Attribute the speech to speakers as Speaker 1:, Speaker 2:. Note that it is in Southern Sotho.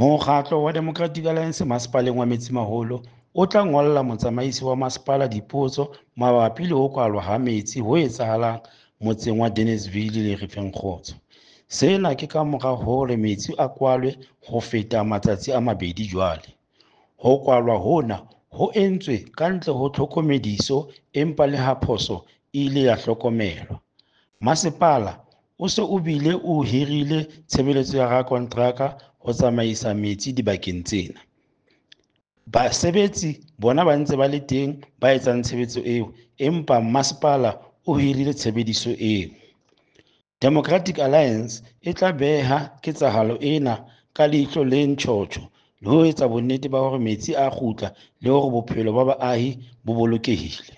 Speaker 1: Mokgatlo wa Democratic Alliance Masepaleng wa Metsimaholo o tla ngolla motsamaisi wa masepala dipotso mabapi le ho kwalwa ha metsi ho etsahalang motseng wa Deneysville le Refengkgotso. Sena ke ka mora hore metsi a kwalwe ho feta matsatsi a mabedi jwale. Ho kwalwa hona ho entswe ka ntle ho tlhokomediso empa le ha phoso e ile ya hlokomelwa. Masepala o se o bile o hirile tshebeletso ya rakonteraka ho tsamaisa metsi dibakeng tsena. Basebetsi bona ba ntse ba le teng ba etsang tshebetso eo, empa masepala o hirile tshebediso eo. Democratic Alliance e tla beha ketsahalo ena ka leihlo le ntjhotjho le ho etsa bonnete ba hore metsi a kgutla le hore bophelo ba baahi bo bolokehile.